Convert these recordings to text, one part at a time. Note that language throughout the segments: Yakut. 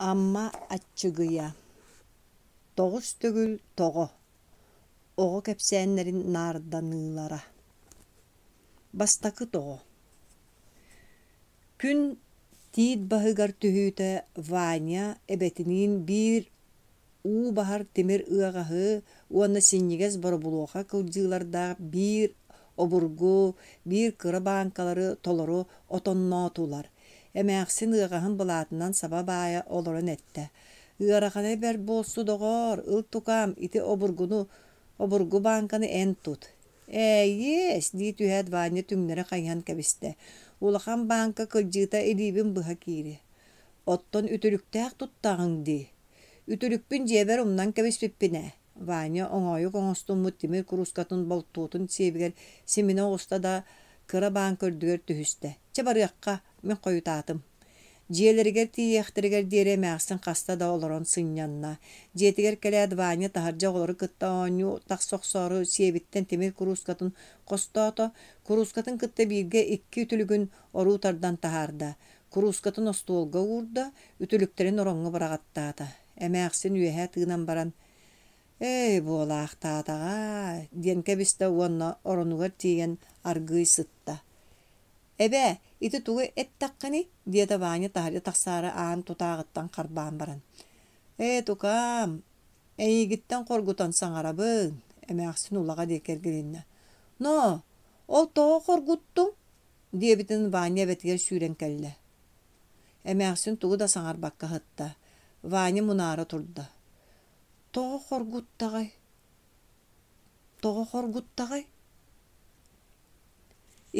Амма Аччыгыйа Тоҕус төгүл тоҕо Оҕо кэпсээннэрин наарданыылара Бастакы тоҕо Күн тиит баһыгар түһүүтэ Ваня эбэтиниин биир уу баһар тимир ыаҕаһы уонна синньигэс боробулуоха кылдьыылардаах биир обургу, биир кыра бааҥкалары толору отонноотулар. Эмээхсин ыаҕаһын былаатынан саба баайа олорон эттэ: «Ыарахана бэрт буолсу, доҕоор, ыл тукаам, ити обургуну обургу бааҥканы эн тут». «Ээйиэс!» дии түһээт Ваня түҥнэри хайыһан кэбистэ. «Улахан бааҥка кылдьыыта илиибин быһа киири. Оттон үтүлүктээх туттаҕыҥ дии. Үтүлүкпүн дьиэбэр умнан кэбиспиппин ээ» Ваня оҥоойук оҥостуммут тимир куруускатын болтуотун сиэбигэр симинэ оҕуста да, кыра бааҥка үрдүгэр түһүстэ. «Чэ, барыахха, мин хойутаатым» Дьиэлэригэр тиийиэхтэригэр диэри эмээхсин хаста да олорон сынньанна. Дьиэтигэр кэлээт Ваня таһырдьа оҕолору кытта оонньуу тахса охсоору сиэбиттэн тимир куруускатын хостоото, куруускатын кытта бииргэ икки үтүлүгүн оруу тардан таһаарда. Куруускатын остуолга уурда, үтүлүктэрин ороҥҥо быраҕаттаата. Эмээхсин үөһэ тыынан баран «Эй, буолаахтаатаҕа» диэн кэбистэ уонна оронугар тиийэн аргыый сытта. «Эбээ, ити тугу эттэххиний?» диэтэ Ваня таһырдьа тахсаары аан тутааҕыттан харбаан баран. «Ээ, тукаам, эйигиттэн хоргутан саҥарабын», эмээхсин улаҕа диэки эргилиннэ. «Ноо, ол тоҕо хоргуттуҥ?» диэбитин Ваня эбэтигэр сүүрэн кэллэ. Эмээхсин тугу да саҥарбакка сытта. Ваня мунаара турда. Тоҕо хоргуттаҕай? Тоҕо хоргуттаҕай?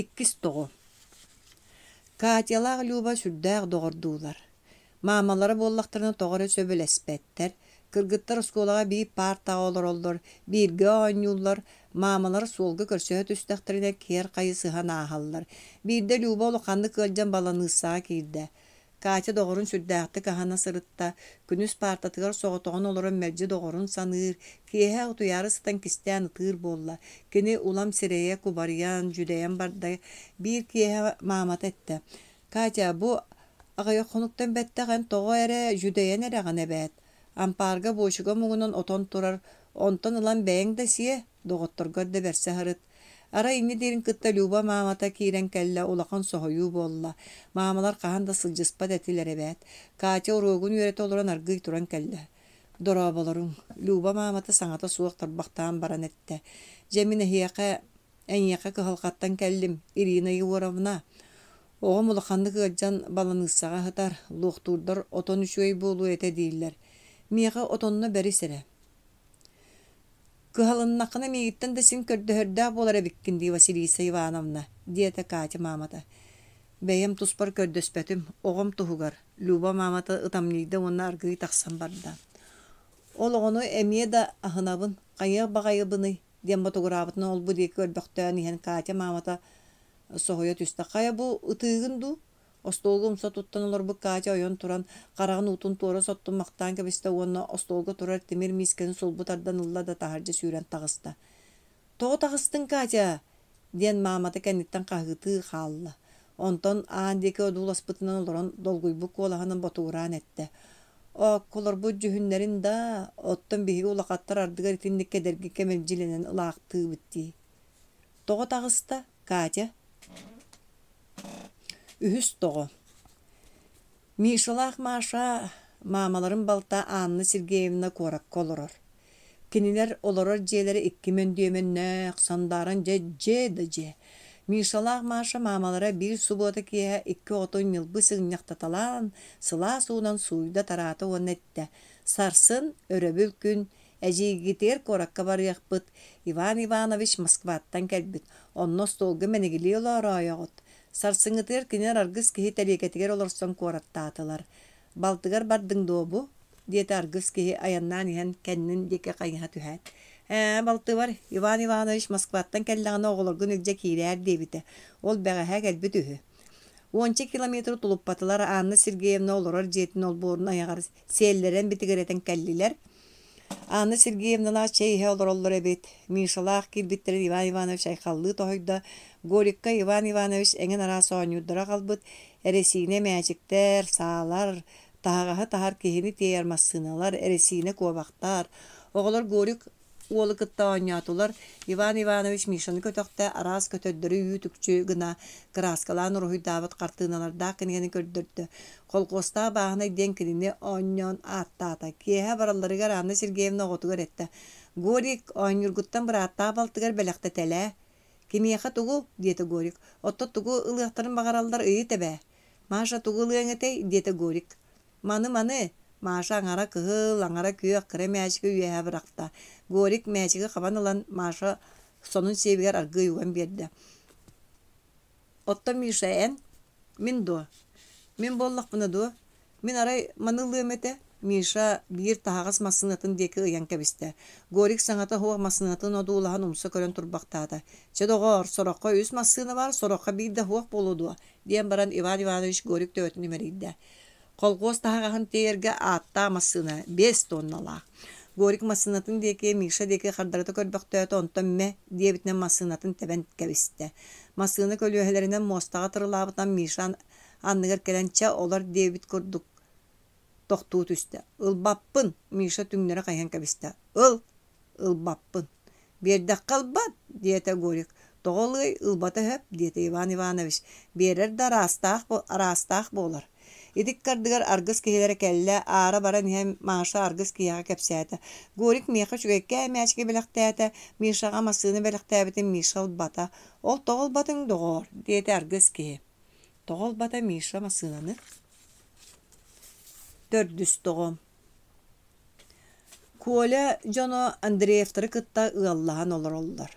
Иккис тоҕо. Катялаах Люба сүрдээх доҕордуулар. Маамалара буоллахтарына тоҕо эрэ сөбүлэспэттэр. Кыргыттар оскуолаҕа биир паартаҕа олороллор, бииргэ оонньууллар, маамалар суолга көрсөһө түстэхтэринэ киэр хайысыһан ааһаллар. Биирдэ Люба улаханнык ыалдьан баланыыссаҕа киирдэ. Катя доҕорун сүрдээхтик аһана сырытта, күнүс паартатыгар соҕотоҕун олорон мэлдьи доҕорун саныыр, киэһэ утуйаары сытан кистээн ытыыр буолла. Кини улам сирэйэ кубарыйан, дьүдэйэн барда. Биир киэһэ маамата эттэ: «Катя, бу аҕыйах хонуктан бэттэх эн тоҕо эрэ дьүдэйэн эрэҕин эбээт. Ампаарга буочука муҥунан отон турар, онтон ылан бэйэҥ да сиэ, доҕотторгор да бэрсэ сырыт. Арай инньэ диирин кытта Люба маамата киирэн кэллэ, улахан соһуйуу буолла. Маамалар хаһан да сылдьыспат этилэр эбээт. Катя уруогун үөрэтэ олорон аргыый туран кэллэ. «Дорооболоруҥ», Люба маамата саҥата суох тарбахтаан баран эттэ. «Дьэ мин эһиэхэ, эйиэхэ кыһалҕаттан кэллим, Ирина Егоровна. Оҕом улаханнык ыалдьан баланыыссаҕа сытар, луохтуурдар отон үчүгэй буолуо этэ дииллэр. Миэхэ отонно бэрис эрэ. «Кыһалыннаххына миигиттэн да син көрдөһөрдөөх буолар эбиккин дии, Василиса Ивановна», диэтэ Катя маамата. «Бэйэм туспар көрдөспөтүм, оҕом туһугар», Люба маамата ытамньыйда уонна аргыый тахсан барда. «Ол оҕону эмиэ да аһынабын, хайыах баҕайыбыный?» диэн ботугураабытынан ол-бу диэки көрбөхтөөн иһэн Катя маамата соһуйа түстэ. «Хайа бу ытыыгын дуу?» Остуолга умса туттан олорбут Катя ойон туран, хараҕын уутун туора соттуммахтаан кэбистэ уонна остуолга турар тимир миискэни сулбу тардан ылла да таһырдьа сүүрэн таҕыста. «Тоҕо таҕыстыҥ, Катя?» диэн маамата кэнниттэн хаһыытыы хаалла. Онтон аан диэки одууласпытынан олорон долгуйбут куолаһынан ботугураан эттэ: «Оокколорбут дьүһүннэрин даа, оттон биһиги улахаттар ардыгар итинник кэдэрги кэмэлдьилэнэн ылаахтыыбыт дии». «Тоҕо таҕыста, Катя?» Үһүс тоҕо Мишалаах Маша маамаларын балта Анна Сергеевна куоракка олорор. Кинилэр олорор дьиэлэрэ икки мөндүөмэннээх, сандааран дьэ дьиэ да дьиэ. Мишалаах Маша маамалара биир субуота киэһэ икки оҕотун ньылбы сыгынньахтаталаан, сылаас уунан сууйда-тараата уонна эттэ: «Сарсын, өрөбүл күн, Эдьиийгитигэр куоракка барыахпыт, Иван Иванович Москваттан кэлбит, онно остуолга мэнигилии олоороойоҕут. Сарсыҥҥытыгар кинилэр аргыс киһи тэриэкэтигэр олорсон куораттаатылар. «Балтыгар бардыҥ дуо бу?» диэтэ аргыс киһи айаннаан иһэн кэннин диэки хайыһа түһээт. «Ээ, балтыбар, Иван Иванович Москваттан кэллэҕинэ оҕолоргун илдьэ киирээр диэбитэ. Ол бэҕэһээ кэлбит үһү». Уонча километры тулуппатылар, Анна Сергеевна олорор дьиэтин олбуорун айаҕар сиэллэрэн битигирэтэн кэллилэр. Анна Сергеевналаах чэй иһэ олороллор эбит. Мишалаах киирбиттэрин Иван Иванович айхаллыы тоһуйда. Горикка Иван Иванович эҥин араас оонньуурдары аҕалбыт, эрэсиинэ мээчиктэр, саалар, Таһаҕаһы таһар, киһини тиэйэр массыыналар, эрэсиинэ куобахтар. Оҕолор Горик уолу кытта оонньоотулар. Иван Иванович Мишаны көтөхтө, араас көтөрдөрү үүт-үкчү гына кырааскалаан уруһуйдаабыт хартыыналардаах кинигэни көрдөрдө. Холкуостаах бааһынай диэн кинини оонньоон ааттаата. Киэһэ баралларыгар Анна Сергеевна оҕотугар эттэ: «Горик, оонньуургуттан бырааттаах балтыгар бэлэхтэтэлээ». «Кимиэхэ тугу?» диэтэ Горик. «Оттон тугу ылыахтарын баҕараллар ыйыт эбээ». «Маша тугу ылыаҥ этэй?» диэтэ Горик. «Маны, маны!» Маша аҥара кыһыл, аҥара күөх кыра мээчиги үөһэ бырахта. Горик мээчиги хабан ылан, Маша сонун сиэбигэр аргыый уган биэрдэ. «Оттон Миша эн?» «Мин дуо? Мин буоллахпына дуо? Мин арай маны ылыам этэ» Миша биир таһаҕас массыынатын диэки ыйан кэбистэ. Горик саҥата суох массыынатын одуулаһан умса көрөн турбахтаата. «Чэ, доҕоор, сороххо үс массыына баар, сороххо биир да суох буолуо дуо?» диэн баран Иван Иванович Горик төбөтүн имэрийдэ. Колхуос таһаҕаһын тиэйэргэ ааттаах массыына биэс тонналаах. Горик массыынатын диэки, Миша диэки хардарыта көрбөхтөөтө, онтон мэ диэбитинэн массыынатын тэбэн кэбистэ. Массыына көлүөһэлэринэн муостаҕа тырылаабытынан Миша анныгар кэлэн чэ олор диэбит курдук тохтуу түстэ. Ылбаппын, Миша түҥнэри хайыһан кэбистэ. Ыл, ылбаппын. Биэрдэххэ ылбат, диэтэ Горик. Тоҕо ылыай, ылбата сөп, диэтэ Иван Иванович. Биэрэр да араастаах, араастаах буолар. Ити ыккардыгар аргыс киһилэрэ кэллэ, аара баран иһэн Маша аргыс киһиэхэ кэпсээтэ. Горик миэхэ үчүгэйкээн мээчиги бэлэхтээтэ, Мишаҕа массыына бэлэхтээбитин Миша ылбата. Ол тоҕо ылбатыҥ, доҕоор, диэтэ аргыс киһи. Тоҕо ылбата Миша массыынаны? Төрдүс тоҕо Коля дьоно Андреевтары кытта ыаллаһан олороллор.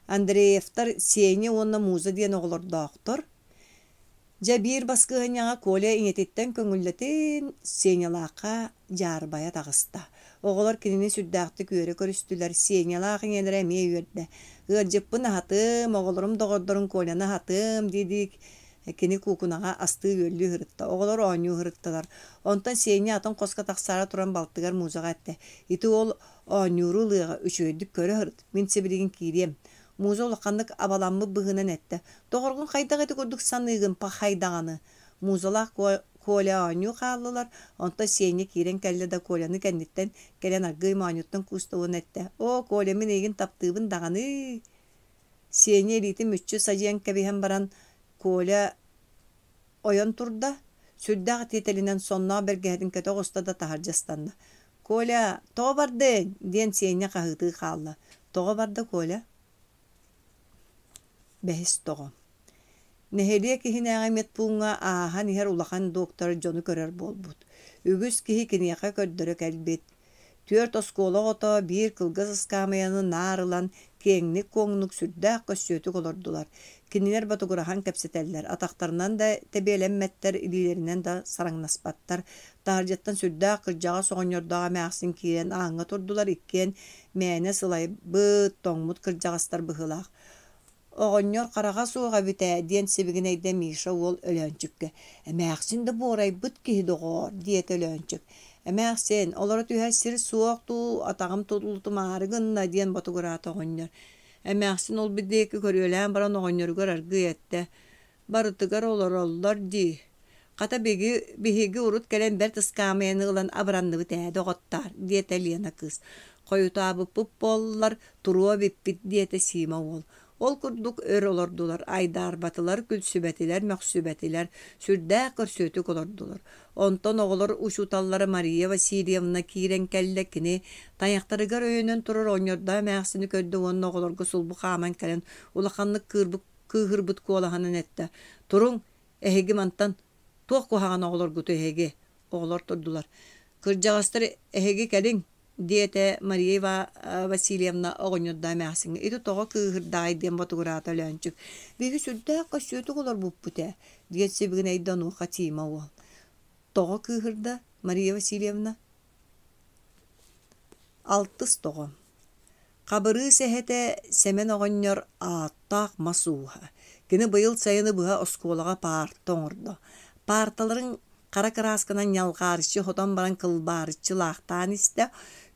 Андреевтар Сеня уонна Муза диэн оҕолордоохтор. Дьэ биир баскыһыанньаҕа Коля ийэтиттэн көҥүллэтин Сенялаахха дьаарбайа таҕыста. Оҕолор кинини сүрдээхтик үөрэ көрүстүлэр, Сенялаах ийэлэрэ эмиэ үөрдэ. «Ыалдьыппын аһатыам, оҕолорум доҕордорун Коляны аһатыам» дии-дии Кини куукунаҕа астыы-үөллүү сырытта, оҕолор оонньуу сырыттылар. Онтон Сеня атын хоско тахсаары туран балтыгар Музаҕа эттэ: «Ити уол оонньууру ылыаҕа, үчүгэйдик көрө сырыт, мин сибилигин киириэм». Муза улаханнык абаламмыт быһыынан эттэ: «Доҕоргун хайдах ити курдук саныыгын, пахай даҕаны?» Музалаах Коля оонньуу хааллылар, онтон Сеня киирэн кэллэ да Коляны кэнниттэн кэлэн аргыый моонньуттан кууста уонна эттэ: «Оо, Коля, мин эйигин таптыыбын даҕаны-ыы!» Сеня илиитин мүччү садьыйан кэбиһэн баран, Коля ойон турда, сүрдээх тиэтэлинэн сонноох бэргэһэтин кэтэ оҕуста да таһырдьа ыстанна. «Коля, тоҕо бардыҥ?» диэн Сеня хаһыытыы хаалла. «Тоҕо барда, Коля?» Бэһис тоҕо Нэһилиэк иһинээҕи медпууҥҥа ааһан иһэр улахан доктор дьону көрөр буолбут. Үгүс киһи киниэхэ көрдөрө кэлбит. Түөрт оскуола оҕото биир кылгас ыскаамыйаны наар ылан, киэҥник-куоҥнук, сүрдээх көссүөтүк олордулар. Кинилэр ботугураһан кэпсэтэллэр, атахтарынан да тэбиэлэммэттэр, илиилэринэн да сараҥнаспаттар. Таһырдьаттан сүрдээх кырдьаҕас оҕонньордоох эмээхсин киирэн ааҥҥа турдулар, иккиэн мээнэ сылайбыт, тоҥмут кырдьаҕастар быһыылаах. Оҕонньор хараҕа суох эбит ээ диэн сибигинэйдэ Миша уол Өлөөнчүккэ. Эмээхсин да буорайбыт киһи доҕоор диэтэ Өлөөнчүк. Эмээхсин, олоро түһэр сир суох дуу, атаҕым тулутумаары гынна диэн ботугураата оҕонньор. Эмээхсин ол диэки көрүөлээн баран оҕонньоругар аргыый эттэ: Барытыгар олороллор дии. Хата биһиги, биһиги урут кэлэн бэрт ыскаамыйаны ылан абыранныбыт ээ, доҕоттоор, диэтэ Лена кыыс. Хойутаабыппыт буоллар, туруо эбиппит, диэтэ Сима уол. Ол курдук өр олордулар, айдаарбатылар, күлсүбэтилэр, мөхсүбэтилэр, сүрдээх көрсүөтүк олордулар. Онтон оҕолор учууталлара Мария Васильевна киирэн кэллэ, кини тайахтарыгар өйөнөн турар оҕонньордоох эмээхсини көрдө уонна оҕолорго сулбу хааман кэлэн улаханнык кыырбыт кыыһырбыт куолаһынан эттэ: «Туруҥ, эһиги мантан туох куһаҕан оҕолоргутуй эһиги?» Оҕолор турдулар. «Кырдьаҕастар эһиги кэлиҥ», диэтэ Мария Васильевна оҕонньордоох эмээхсиҥҥэ. «Ити тоҕо кыыһырдаҕай?» диэн ботугураата Өлөөнчүк. «Биһиги сүрдээх көссүөтүк олорбуппут ээ», диэн сибигинэйдэ онуоха Тима уол. «Тоҕо кыыһырда, Мария Васильевна?» Алтыс тоҕо Хабырыыс эһэтэ Сэмэн оҕонньор ааттаах мас ууһа. Кини быйыл сайыны быһа оскуолаҕа паарта оҥордо. Паарталарын хара кыраасканан ньалҕаарыччы хотон баран кылбаарыччы лаахтаан истэ.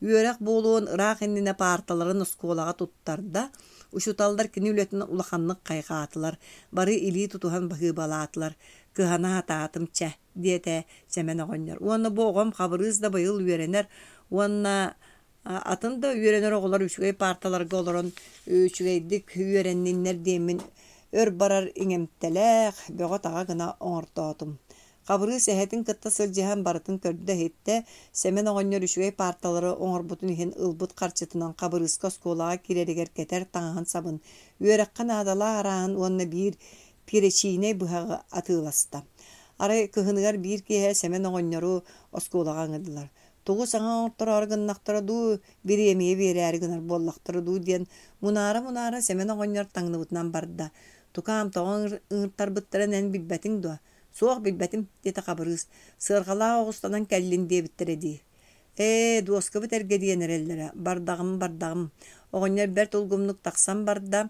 Үөрэх буолуон ыраах иннинэ паарталарын оскуолаҕа туттарда. Учууталлар кини үлэтин улаханнык хайҕаатылар, бары илии тутуһан баһыыбалаатылар. Кыһана сатаатым чэ. диэтэ Сэмэн оҕонньор. Уонна бу оҕом Хабырыыс да быйыл үөрэнэр уонна атын да үөрэнэр оҕолор үчүгэй паарталарга олорон үчүгэйдик үөрэнниннэр диэммин өр барар иҥэмтэлээх, бөҕө-таҕа гына оҥортоотум. Хабырыыс эһэтин кытта сылдьыһан барытын көрдө-иһиттэ. Сэмэн оҕонньор үчүгэй паарталары оҥорбутун иһин ылбыт харчытынан Хабырыыска оскуолаҕа киирэригэр кэтэр таҥаһын-сабын, үөрэххэ наадалаах арааһын уонна биир перечиинэй быһаҕы атыыласта. Арай кыһыныгар биир киэһэ Сэмэн оҕонньору оскуолаҕа ыҥырдылар. Тугу саҥа оҥортороору гыннахтара дуу, бириэмийэ биэрээри гынар буоллахтара дуу диэн мунаара-мунаара Сэмэн оҕонньор таҥныбытынан барда. Тукаам, тоҕо ыҥыртарбыттарын эн билбэтиҥ дуо? Суох, билбэтим, диэтэ Хабырыыс. Сыарҕалаах оҕустанан кэллин диэбиттэрэ дии. Ээ, дуоскабыт эргэ диэн эрэллэрэ. Бардаҕым, бардаҕым. Оҕонньор бэрт улгумнук тахсан барда.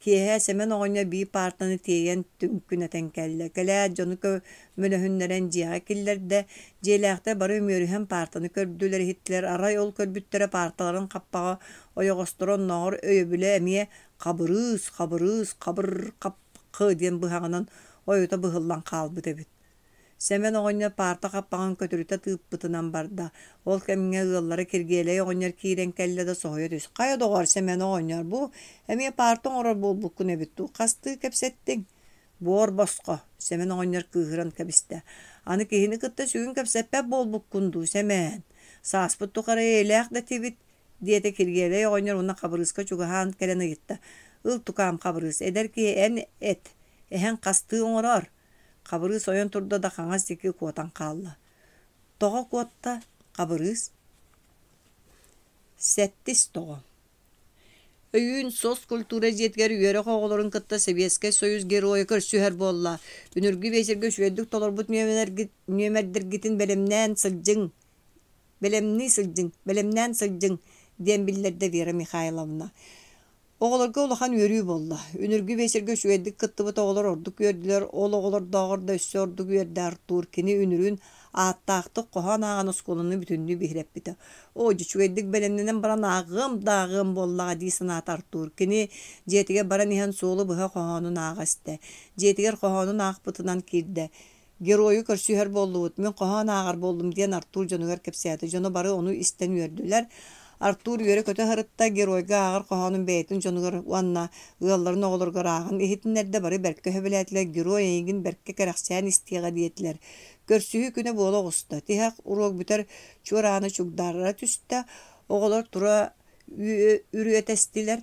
Киэһэ Сэмэн оҕонньор биир паартаны тиэйэн түҥкүнэтэн кэллэ. Кэлээт дьону көмөлөһүннэрэн дьиэҕэ киллэрдэ. Дьиэлээхтэр бары үмүөрүһэн паартаны көрдүлэр-иһиттилэр. Арай ол көрбүттэрэ паарталарын хаппаҕа ойоҕосторо оннооҕор өйөбүлэ эмиэ «Хабырыыс, Хабырыыс, хабыр-хап-хы» диэн быһаҕынан ойута быһыллан хаалбыт эбит. Сэмэн оҕонньор паарта хаппаҕын көтүрүтэ тыыппытынан барда. Ол кэмҥэ ыаллара Киргиэлэй оҕонньор киирэн кэллэ да соһуйа түс. «Хайа доҕоор, Сэмэн оҕонньор, бу эмиэ паарта оҥорор буолбуккун эбит дуу, хастыы кэпсэттиҥ?» «Буор босхо», Сэмэн оҕонньор кыыһыран кэбистэ. «Аны киһини кытта сүгүн кэпсэппэт буолбуккун дуу, Сэмээн? Сааспыт тухары эйэлээх да этибит», диэтэ Киргиэлэй оҕонньор уонна Хабырыыска чугаһаан кэлэн ыйытта. «Ыл, тукаам, Хабырыыс, эдэр киһи эн эт, эһэҥ хастыы оҥороор?» Хабырыыс ойон турда да хаҥас диэки куотан хаалла. Тоҕо куотта, Хабырыыс? Сэттис тоҕо. Өйүүн соцкультура дьиэтигэр үөрэх оҕолорун кытта Сэбиэскэй Союз Геройа көрсүһэр буолла. Үнүргү биэчэргэ үчүгэйдик толорбут нүөмэрдэргитин бэлэмнээн сылдьыҥ, бэлэмнии сылдьыҥ, бэлэмнээн сылдьыҥ, диэн биллэрдэ Вера Михайловна. Оҕолорго улахан үөрүү буолла. Үнүргү биэчэргэ үчүгэйдик кыттыбыт оҕолор ордук үөрдүлэр, ол оҕолордооҕор да өссө ордук үөрдэ Артур. Кини үнүрүүн ааттаахтык хоһоон ааҕан оскуоланы бүтүннүү биһирэппитэ. Оо, дьэ үчүгэйдик бэлэмнэнэн баран ааҕыам да ааҕыам буоллаҕа дии санаата Артур. Кини дьиэтигэр баран иһэн суолу быһа хоһоонун ааҕа истэ. Дьиэтигэр хоһоонун аахпытынан киирдэ. Геройу көрсүһэр буоллубут, мин хоһоон ааҕар буоллум диэн Артур дьонугар кэпсээтэ. Дьоно бары ону истэн үөрдүлэр. Артур үөрэ-көтө сырытта, геройга ааҕар хоһоонун бэйэтин дьонугар уонна ыалларын оҕолоругар ааҕан иһитиннэрдэ, бары бэркэ сөбүлээтилэр, герой эйигин бэркэ кэрэхсээн истиэҕэ диэтилэр. Көрсүһүү күнэ буола оҕуста. Тиһэх уруок бүтэр чуорааны чугдаарара түстэ, оҕолор тура үрүөтэстилэр.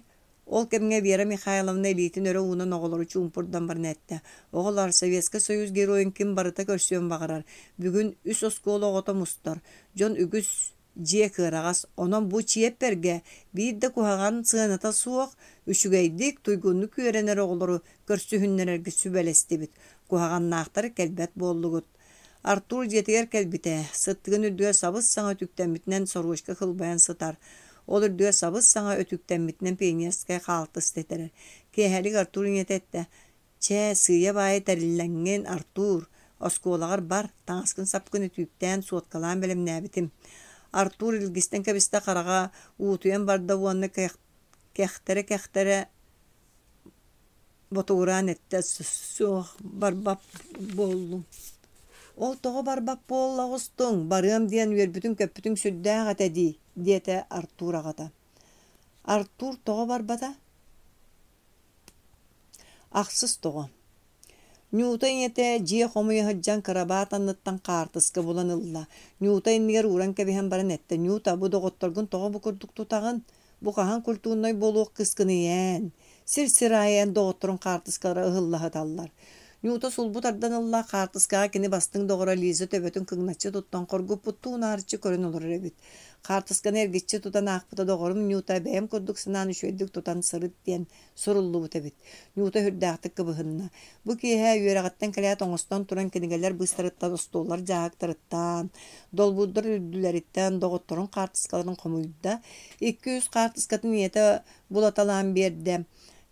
Ол кэмҥэ Вера Михайловна илиитин өрө уунан оҕолору чуумпурдан баран эттэ: «Оҕолоор, Советскай Союз Геройун ким барыта көрсүөн баҕарар. Бүгүн үс оскуола оҕото мустар. Дьон үгүс, дьиэ кыараҕас. Онон бу чиэппэргэ биир да куһаҕан сыаната суох, үчүгэйдик, туйгуннук үөрэнэр оҕолору көрсүһүннэрэргэ сүбэлэстибит. Куһаҕаннаахтар кэлбэт буоллугут. Артур дьиэтигэр кэлбитэ, сыттыгын үрдүгэр сабыс-саҥа үтүктэммитинэн сорочка кылбайан сытар. Ол үрдүгэр сабыс-саҥа өтүктэммитинэн пионерскай хаалтыс тэтэрэр. Киэһэлик Артур ийэтэ эттэ: «Чэ, сыыйа-баайа тэриллэҥҥин, Артур, оскуолаҕар бар, таҥаскын-сапкын өтүүктээн, суоткалаан бэлэмнээбитим». Артур илгистэн кэбистэ хараҕа уутуйан барда уонна кэхтэрэ-кэхтэрэ Ботугураан эттэ суох барбат буоллум Ол тоҕо барбат буолла оҕустуҥ, барыам диэн үөрбүтүҥ-көппүтүҥ сүрдээх этэ дии, диэтэ Артур аҕата. Артур тоҕо барбата? Ахсыс тоҕо. Ньуута ийэтэ дьиэ хомуйа сылдьан кырабаат анныттан хаартыска булан ылла. Ньуута иннигэр ууран кэбиһэн баран эттэ: «Ньуута, бу доҕотторгун тоҕо бу курдук тутаҕын? Бу хаһан культурнай буолуох кыыскыный эн? Сир-сир аайы эн доҕотторуҥ хаартыскалара ыһылла сыталлар. Ньуута сулбу тардан ылла, хаартыскаҕа кини бастыҥ доҕоро Лиза төбөтүн кыҥначчы туттан хоргуппуттуу унаарыччы көрөн олорор эбит. Хаартысканы эргиччи тутан аахпыта доҕорум Ньуута бэйэм курдук санаан үчүгэйдик тутан сырыт диэн суруллубут эбит. Ньуута сүрдээхтик кыбыһынна. Бу киэһэ үөрэҕиттэн кэлээт оҥостон туран кинигэлэр быыстарыттан, остуоллар дьааһыктарыттан, долбуурдар үрдүлэриттэн доҕотторун хаартыскаларын хомуйда. Икки-үс хаартыскатын ийэтэ булаталаан биэрдэ.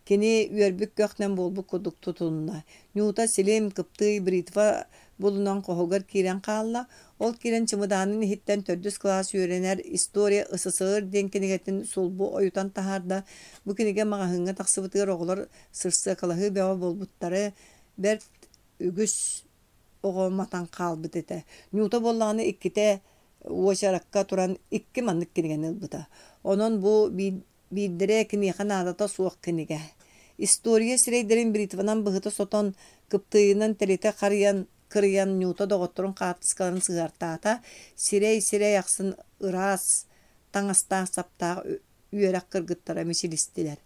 Кини үөрбүт көхтөн буолбут курдук тутунна. Ньуута силим, кыптыый, бритва булунан хоһугар киирэн хаалла. Ол киирэн чымыдаанын иһиттэн төрдүс кылаас үөрэнэр «История СССР» диэн кинигэтин сулбу ойутан таһаарда. Бу кинигэ маҕаһыыҥҥа тахсыбытыгар оҕолор сырсыакалаһыы бөҕө буолбуттары бэрт үгүс. оҕо матан хаалбыт этэ. Нюта буоллаҕына иккитэ уочаракка туран икки маннык кинигэни ылбыта. Онон бу биирдэрэ киниэхэ наадата суох кинигэ. История сирэйдэрин бритванан быһыта сотон, кыптыыйынан тэлитэ харыйан, кырыйан Нюта доҕотторун хаартыскаларын сыһыартаата. Сирэй-сирэй ахсын ыраас таҥастаах-саптаах үөрэх кыргыттара мичилистилэр.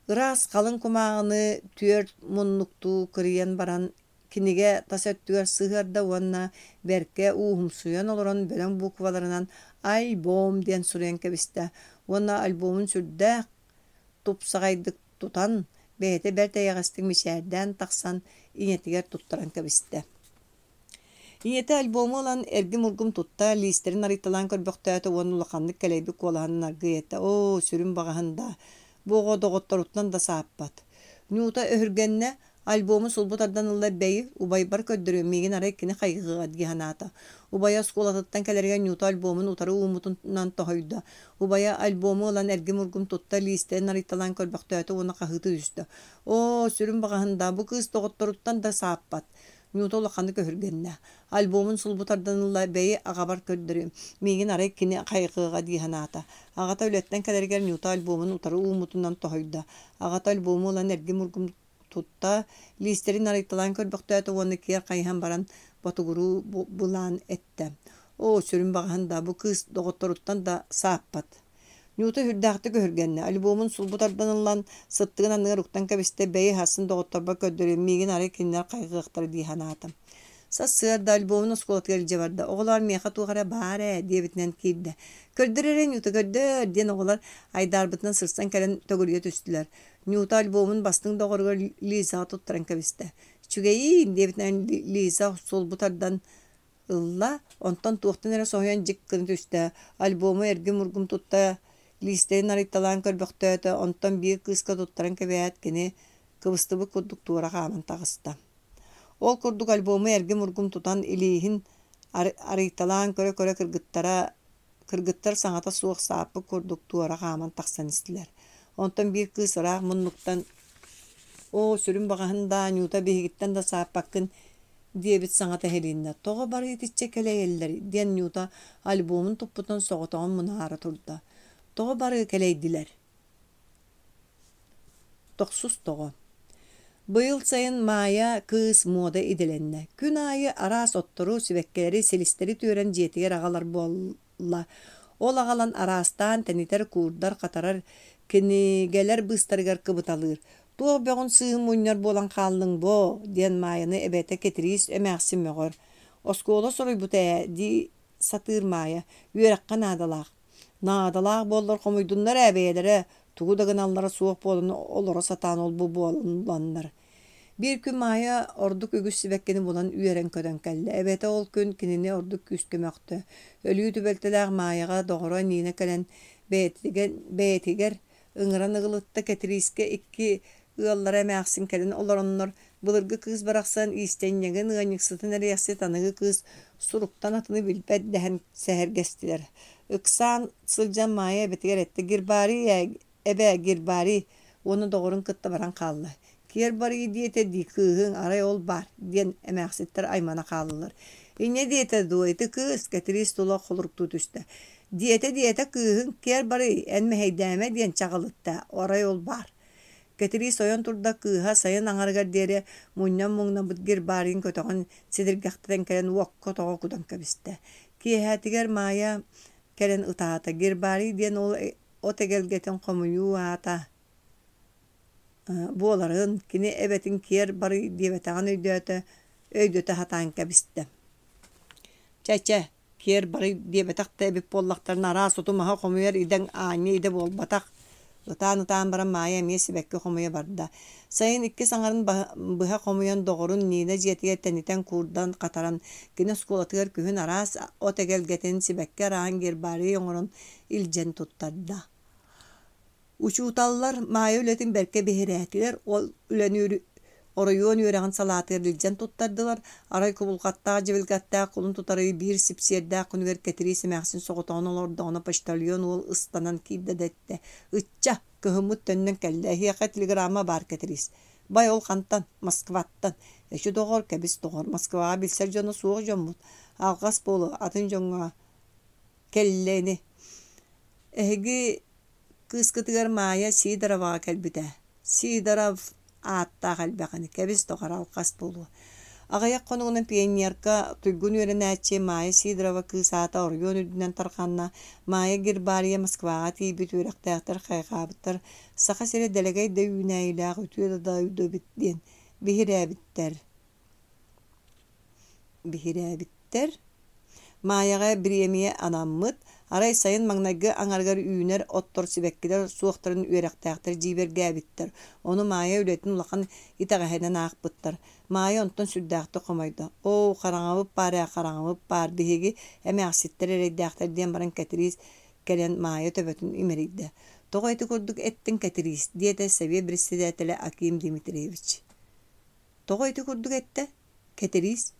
Ыраас халыҥ кумааҕыны түөрт муннуктуу кырыйан баран кинигэ тас өттүгэр сыһыарда уонна бэркэ ууһумсуйан олорон бөдөҥ букваларынан «Альбом» диэн суруйан кэбистэ уонна альбомун сүрдээх тупсаҕайдык тутан, бэйэтэ бэрт эйэҕэстик мичээрдээн тахсан ийэтигэр туттаран кэбистэ. Ийэтэ альбому ылан эргим-ургум тутта, лиистэрин арыйталаан көрбөхтөөтө уонна улаханнык кэлэйбит куолаһынан аргыый эттэ: «Оо, сүрүн баҕаһын даа, бу оҕо доҕотторуттан да сааппат». Нюта өһүргэннэ, альбому сулбу тардан ылла бэйи, убайбар көрдөрүөм, миигин арай кини хайҕыаҕа дии санаата. Убайа оскуолатыттан кэлэригэр Нюта альбомун утары ууммутунан тоһуйда. Убайа альбому ылан эргим-ургум тутта, лиистэрин арыйталаан көрбөхтөөтө уонна хаһыытыы түстэ: «Оо, сүрүн баҕаһын даа, бу кыыс доҕотторуттан да сааппат». Нюта улаханнык өһүргэннэ. Альбомун сулбу тардан ылла, бэйи аҕабар көрдөрүөм, миигин арай кини хайҕыаҕа дии санаата. Аҕата үлэттэн кэлэригэр Нюта альбомун утары ууммутунан тоһуйда. Аҕата альбому ылан эргим-ургум тутта, лиистэрин арыйталаан көрбөхтөөтө уонна киэр хайыһан баран ботугуруу былаан эттэ. Оо, сүрүн баҕаһын да, бу кыыс доҕотторуттан да сааппат. Нюта сүрдээхтик өһүргэннэ, альбомун сулбу тардан ылан, сыттыгын анныгар уктан кэбистэ, бэйи аһасын доҕотторбор көрдөрүөм, миигин арай кинилэр хайҕыахтара дии санаатым. Сарсыарда альбомун оскуолатыгар илдьэ барда, оҕолоор миэхэ туох эрэ баар ээ диэбитинэн киирдэ. Көрдөр эрэ Нюта көрдөр диэн оҕолор айдаарбытынан сырсан кэлэн төгүрүйэ түстүлэр. Нюта альбомун бастыҥ доҕоругар Лизаҕа туттаран кэбистэ. Үчүгэйиин диэбитинэн Лиза сулбу тардан Ылла, онтон туохтан эрэ соһуйан дьик гына түстэ, альбому эргим-ургум тутта, лиистэрин арыйталаан көрбөхтөөтө, онтон биир кыыска туттаран кэбиһээт, кини кыбыстыбыт курдук туора хааман таҕыста. Ол курдук альбому эргим-ургум тутан илииһин арыйталаан көрө-көрө кыргыттара Кыргыттар саҥата суох сааппыт курдук туора хааман тахсан истилэр. Онтон биир кыыс ыраах муннуктан «Оо, сүрүн баҕаһын даа, Нюта биһигиттэн да сааппаккын» диэбит саҥата иһилиннэ. «Тоҕо бары итиччэ кэлэйэллэр?» диэн Нюта альбомун туппутун соҕотоҕун мунаара турда. «Тоҕо бары кэлэйдилэр?» Тохсус тоҕо Быйыл сайын Маайа кыыс муода идэлэннэ. Күн аайы араас оттору, сибэккилэри, силистэри түөрэн дьиэтигэр аҕалар буолла. Ол аҕалан араастаан тэнитэр, куурдар, хатарар, кинигэлэр быыстарыгар кыбыталыыр. «Туох бөҕүн сыыһын мунньар буолан хааллыҥ боо?» диэн Маайаны эбэтэ Кэтириис эмээхсин мөҕөр. «Оскуола соруйбута ээ» дии сатыыр Маайа. «Үөрэххэ наадалаах». Наадалаах буоллар хомуйдуннар ээ бэйэлэрэ, тугу да гыналлара суох буолан олоро сатаан ол-бу буолланнар. Биир күн Маайа ордук үгүс сибэккини булан үөрэн-көтөн кэллэ. Эбэтэ ол күн кинини ордук күүскэ мөхтө. Өлүү түбэлтэлээх Маайаҕа доҕоро Нина кэлэн бэйэтигэр, бэйэтигэр ыҥыран ыгылытта Кэтириискэ икки ыаллара эмээхсин кэлэн олороннор, былыргы кыыс барахсан иистэнньэҥин, ыанньыксытын эриэхсит аныгы кыыс суруктан атыны билбэт дэһэн сэһэргэстилэр. Ыксаан сылдьан Маайа эбэтигэр эттэ: «Гербарий ээ, эбээ, гербарий!» уонна доҕорун кытта баран хаалла. «Киэр барыы диэтэ дии кыыһыҥ, арай ол баар» диэн эмээхситтэр аймана хааллылар. «Инньэ диэтэ дуо, ити кыыс?» Кэтириис тула холоруктуу түстэ. «Диэтэ-диэтэ кыыһыҥ, киэр барый, эн мэһэйдээмэ» диэн чаҕылытта, арай ол баар. Кэтириис ойон турда, кыыһа сайын аҥарыгар диэри мунньан муҥнаммыт гербарийын көтөҕөн сидиргэхтэтэн кэлэн уокка тоҕо кутан кэбистэ. Киэһээтигэр Маайа кэлэн ытаата. Гербарий диэн ол от эгэлгэтин хомуйуу аата буоларын, кини эбэтин киэр барый диэбэтэҕин өйдөөтө, өйдөтө сатаан кэбистэ. Чэ-чэ, киэр барый диэбэтэх да эбит буоллахтарына араас оту-маһы хомуйар идэҥ аанньа идэ буолбатах. Ытаан-ытаан баран Маайа эмиэ сибэкки хомуйа барда. Сайын иккис аҥарын быһа хомуйан доҕорун Нина дьиэтигэр тэнитэн куурдан хатаран, кини оскуолатыгар күһүн араас от эгэлгэтин, сибэкки арааһын гербарий оҥорон илдьэн туттарда. Учууталлар Маайа үлэтин бэркэ биһирээтилэр, ол үлэни оройуон үөрэҕин салаатыгар илдьэн туттардылар. Арай кубулҕаттаах дьибилгэттээх кулун тутар ый биир сипсиэрдээх күнүгэр Кэтириис эмээхсин соҕотоҕун олордоҕуна почтальон уол ыстанан киирдэ да эттэ: «Ычча, кыһыммыт төннөн кэллэ, эһиэхэ телеграмма баар Кэтириис». «Бай, ол хантан? Москваттан. Эчи доҕор, кэбис доҕор, Москваҕа билсэр дьоно суох дьоммут. Алҕас буолуо, атын дьоҥҥо кэллэ ини. Эһиги кыыскытыгар Маайа Сидороваҕа кэлбитэ. Сидоров ааттаах элбэх ини, кэбис доҕор, алҕас буолуо. Аҕыйах хонугунан пионерка, туйгун үөрэнээччи Майя Сидорова кыыс аата оройуон үрдүнэн тарҕанна. Майя гербарийа Москваҕа тиийбит үөрэхтээхтэр хайҕаабыттар. Саха сирэ дэлэгэй да үүнээйилээх үтүө да дойду эбит диэн биһирээбиттэр. Биһирээбиттэр. Маайаҕа бириэмийэ анаммыт. Арай сайын маҥнайгы аҥарыгар үүнэр оттор сибэккилэр суохтарын үөрэхтээхтэр дьиибэргээбиттэр. Ону Маайа үлэтин улахан итэҕэһинэн аахпыттар. Маайа онтон сүрдээхтик хомойдо. «Оо, хараҥабыт баар ээ, хараҥабыт баар, биһиги эмээхситтэр эрэйдээхтэр» диэн баран Кэтириис кэлэн Маайа төбөтүн имэрийдэ. «Тоҕо ити курдук эттиҥ, Кэтириис?» диэтэ сэбиэт председателэ Аким Дмитриевич. «Тоҕо ити курдук эттэ, Кэтириис?»